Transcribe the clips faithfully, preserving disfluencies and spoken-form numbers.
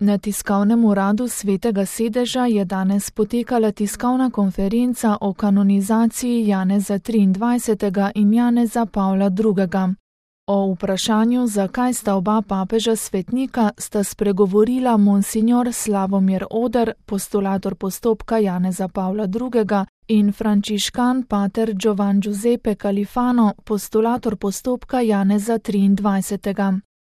Na tiskovnem uradu Svetega sedeža je danes potekala tiskovna konferenca o kanonizaciji Janeza triindvajsetega in Janeza Pavla drugega. O vprašanju, zakaj sta oba papeža svetnika, sta spregovorila monsignor Slavomir Oder, postulator postopka Janeza Pavla drugega, in frančiškan pater Giovan Giuseppe Califano, postulator postopka Janeza triindvajsetega.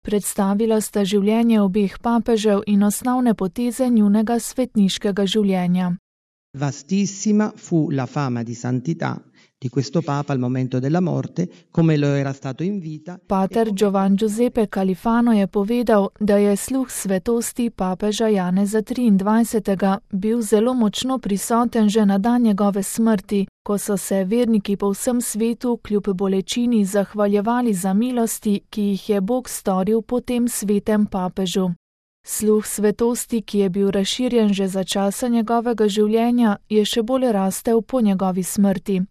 Predstavila sta življenje obeh papežev in osnovne poteze njunega svetniškega življenja. Vastissima fu la fama di santità di questo papa al momento della morte, come lo era stato in vita. Pater Giovan Giuseppe Califano je povedal, da je sluh svetosti papeža Janeza triindvajsetega bil zelo močno prisoten že na dan njegove smrti, ko so se verniki po vsem svetu kljub bolečini zahvaljevali za milosti, ki jih je Bog storil po tem svetem papežu. Sluh svetosti, ki je bil razširjen že za časa njegovega življenja, je še bolj rastel po njegovi smrti.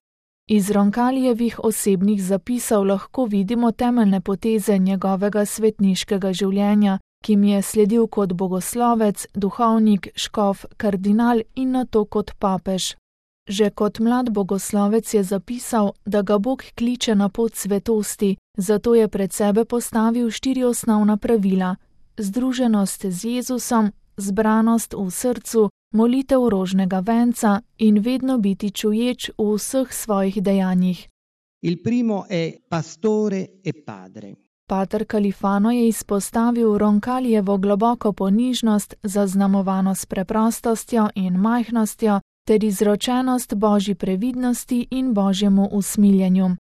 Iz Roncalijevih osebnih zapisov lahko vidimo temeljne poteze njegovega svetniškega življenja, ki mi je sledil kot bogoslovec, duhovnik, škof, kardinal in nato kot papež. Že kot mlad bogoslovec je zapisal, da ga Bog kliče na pot svetosti, zato je pred sebe postavil štiri osnovna pravila: združenost z Jezusom, zbranost v srcu, molitev rožnega venca in vedno biti čuječ v vseh svojih dejanjih. Il primo è pastore e padre. Pater Califano je izpostavil Roncalijevo globoko ponižnost, zaznamovano s preprostostjo in majhnostjo, ter izročenost Božji previdnosti in Božjemu usmiljenju.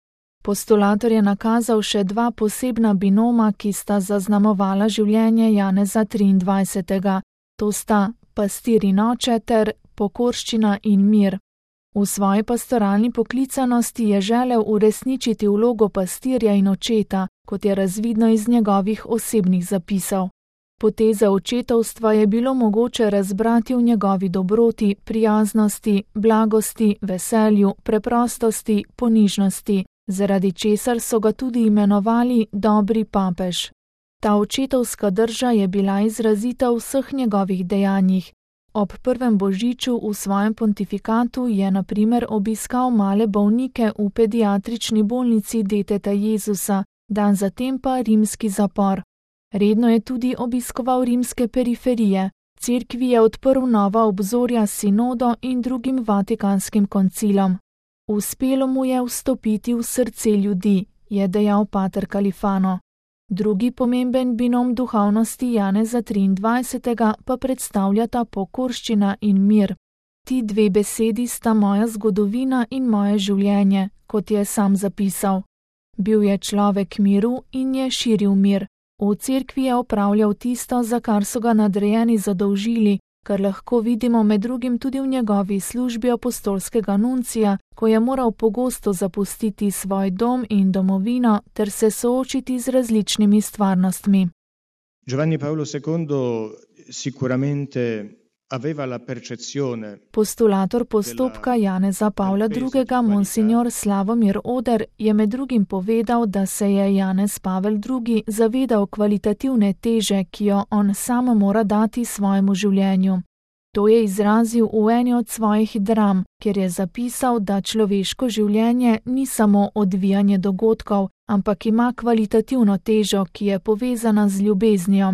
Postulator je nakazal še dva posebna binoma, ki sta zaznamovala življenje Janeza triindvajsetega. To sta pastir in oče ter pokorščina in mir. V svoji pastoralni poklicanosti je želel uresničiti vlogo pastirja in očeta, kot je razvidno iz njegovih osebnih zapisov. Poteze očetovstva je bilo mogoče razbrati v njegovi dobroti, prijaznosti, blagosti, veselju, preprostosti, ponižnosti, zaradi česar so ga tudi imenovali dobri papež. Ta očetovska drža je bila izrazita v vseh njegovih dejanjih. Ob prvem božiču v svojem pontifikatu je na primer obiskal male bolnike v pediatrični bolnici Deteta Jezusa, dan zatem pa rimski zapor. Redno je tudi obiskoval rimske periferije. Cerkvi je odprl nova obzorja s sinodo in drugim vatikanskim koncilom. Uspelo mu je vstopiti v srce ljudi, je dejal pater Califano. Drugi pomemben binom duhovnosti Janeza triindvajsetega pa predstavljata pokorščina in mir. Ti dve besedi sta moja zgodovina in moje življenje, kot je sam zapisal. Bil je človek miru in je širil mir. V cerkvi je opravljal tisto, za kar so ga nadrejeni zadolžili, kar lahko vidimo med drugim tudi v njegovi službi apostolskega nuncija, ko je moral pogosto zapustiti svoj dom in domovino ter se soočiti z različnimi stvarnostmi. Giovanni Paolo secondo sicuramente aveva la percezione. Postulator postopka Janeza Pavla drugega, monsignor Slavomir Oder, je med drugim povedal, da se je Janez Pavel drugi zavedal kvalitativne teže, ki jo on sam mora dati svojemu življenju. To je izrazil v eni od svojih dram, kjer je zapisal, da človeško življenje ni samo odvijanje dogodkov, ampak ima kvalitativno težo, ki je povezana z ljubeznijo.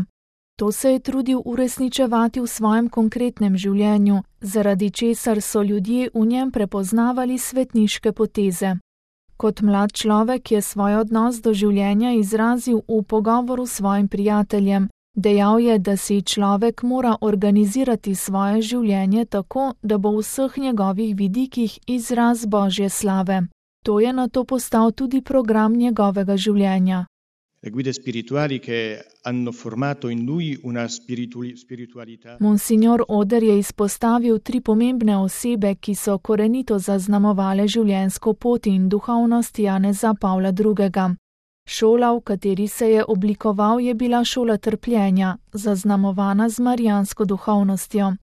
To se je trudil uresničevati v svojem konkretnem življenju, zaradi česar so ljudje v njem prepoznavali svetniške poteze. Kot mlad človek je svoj odnos do življenja izrazil v pogovoru s svojim prijateljem. Dejal je, da si človek mora organizirati svoje življenje tako, da bo v vseh njegovih vidikih izraz Božje slave. To je nato postal tudi program njegovega življenja. Le guide spirituali che hanno formato in lui una spiritualità. Monsignor Oder je izpostavil tri pomembne osebe, ki so korenito zaznamovale življenjsko pot in duhovnost Janeza Pavla drugega. Šola, v kateri se je oblikoval, je bila šola trpljenja, zaznamovana z marijansko duhovnostjo.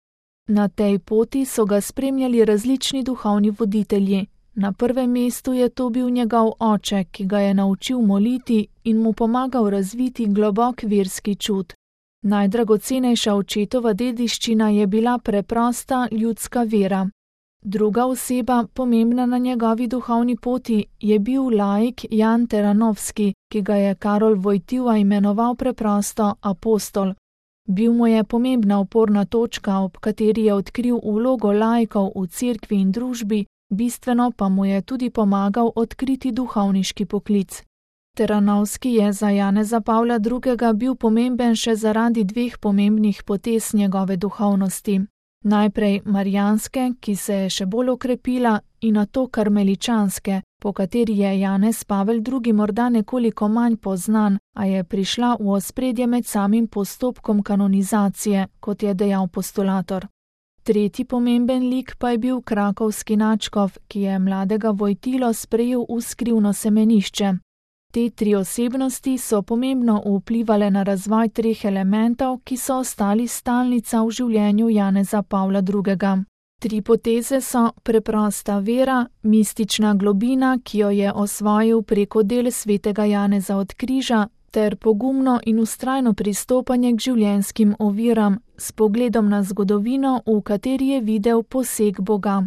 Na tej poti so ga spremljali različni duhovni voditelji. Na prvem mestu je to bil njegov oče, ki ga je naučil moliti in mu pomagal razviti globok verski čut. Najdragocenejša očetova dediščina je bila preprosta ljudska vera. Druga oseba, pomembna na njegovi duhovni poti, je bil laik Jan Teranovski, ki ga je Karol Wojtyła imenoval preprosto apostol. Bil mu je pomembna oporna točka, ob kateri je odkril vlogo laikov v cerkvi in družbi, bistveno pa mu je tudi pomagal odkriti duhovniški poklic. Teranovski je za Janeza Pavla drugega bil pomemben še zaradi dveh pomembnih potez njegove duhovnosti. Najprej marijanske, ki se je še bolj okrepila, in nato karmeličanske, po kateri je Janez Pavel drugi morda nekoliko manj poznan, a je prišla v ospredje med samim postopkom kanonizacije, kot je dejal postulator. Tretji pomemben lik pa je bil krakovski nadškof, ki je mladega Wojtylo sprejel v skrivno semenišče. Te tri osebnosti so pomembno vplivale na razvoj treh elementov, ki so ostali stalnica v življenju Janeza Pavla drugega. Tri poteze so preprosta vera, mistična globina, ki jo je osvojil preko del svetega Janeza od križa, ter pogumno in vztrajno pristopanje k življenjskim oviram, s pogledom na zgodovino, v kateri je videl poseg Boga.